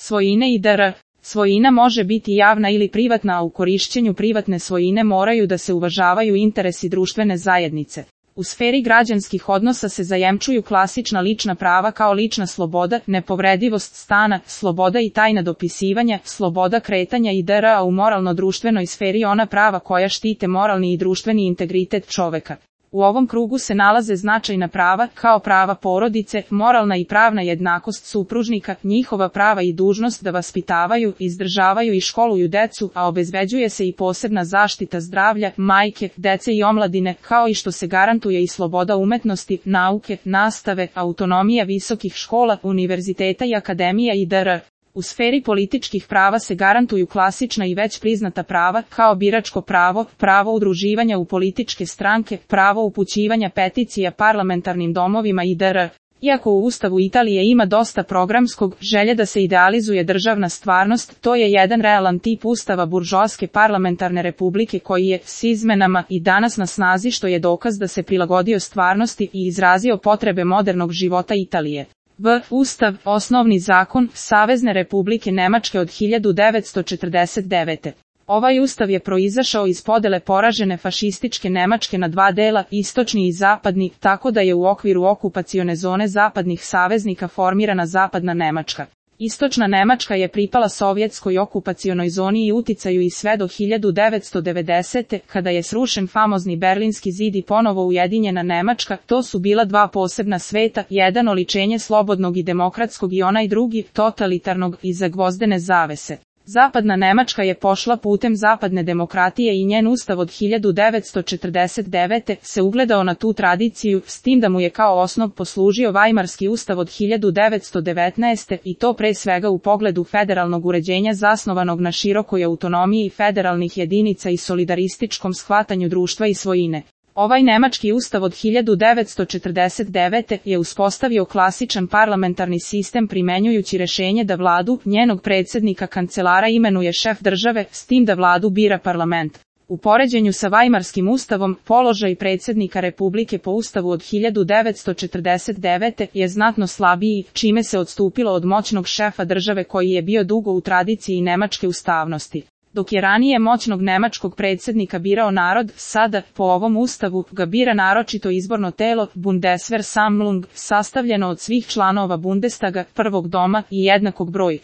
svojine i dr. Svojina može biti javna ili privatna, a u korišćenju privatne svojine moraju da se uvažavaju interesi društvene zajednice. U sferi građanskih odnosa se zajemčuju klasična lična prava kao lična sloboda, nepovredivost stana, sloboda i tajna dopisivanja, sloboda kretanja i dr. A u moralno-društvenoj sferi ona prava koja štite moralni i društveni integritet čoveka. U ovom krugu se nalaze značajna prava, kao prava porodice, moralna i pravna jednakost supružnika, njihova prava i dužnost da vaspitavaju, izdržavaju i školuju decu, a obezbeđuje se i posebna zaštita zdravlja, majke, dece i omladine, kao i što se garantuje i sloboda umetnosti, nauke, nastave, autonomija visokih škola, univerziteta i akademija i dr. U sferi političkih prava se garantuju klasična i već priznata prava, kao biračko pravo, pravo udruživanja u političke stranke, pravo upućivanja peticija parlamentarnim domovima i dr. Iako u Ustavu Italije ima dosta programskog, želje da se idealizuje državna stvarnost, to je jedan realan tip Ustava buržoaske parlamentarne republike koji je, s izmenama, i danas na snazi, što je dokaz da se prilagodio stvarnosti i izrazio potrebe modernog života Italije. Ustav, osnovni zakon Savezne republike Nemačke od 1949. Ovaj ustav je proizašao iz podele poražene fašističke Nemačke na dva dela, istočni i zapadni, tako da je u okviru okupacione zone zapadnih saveznika formirana zapadna Nemačka. Istočna Nemačka je pripala sovjetskoj okupacionoj zoni i uticaju i sve do 1990. kada je srušen famozni Berlinski zid i ponovo ujedinjena Nemačka. To su bila dva posebna sveta, jedan oličenje slobodnog i demokratskog i onaj drugi, totalitarnog, iza gvozdene zavese. Zapadna Nemačka je pošla putem zapadne demokratije i njen ustav od 1949. se ugledao na tu tradiciju, s tim da mu je kao osnov poslužio Vajmarski ustav od 1919. i to pre svega u pogledu federalnog uređenja zasnovanog na širokoj autonomiji federalnih jedinica i solidarističkom shvatanju društva i svojine. Ovaj nemački ustav od 1949. je uspostavio klasičan parlamentarni sistem primenjujući rešenje da vladu, njenog predsjednika kancelara imenuje šef države, s tim da vladu bira parlament. U poređenju sa Vajmarskim ustavom, položaj predsjednika republike po ustavu od 1949. je znatno slabiji, čime se odstupilo od moćnog šefa države koji je bio dugo u tradiciji nemačke ustavnosti. Dok je ranije moćnog nemačkog predsjednika birao narod, sada, po ovom ustavu, ga bira naročito izborno telo, Bundesversammlung, sastavljeno od svih članova Bundestaga, prvog doma i jednakog broja.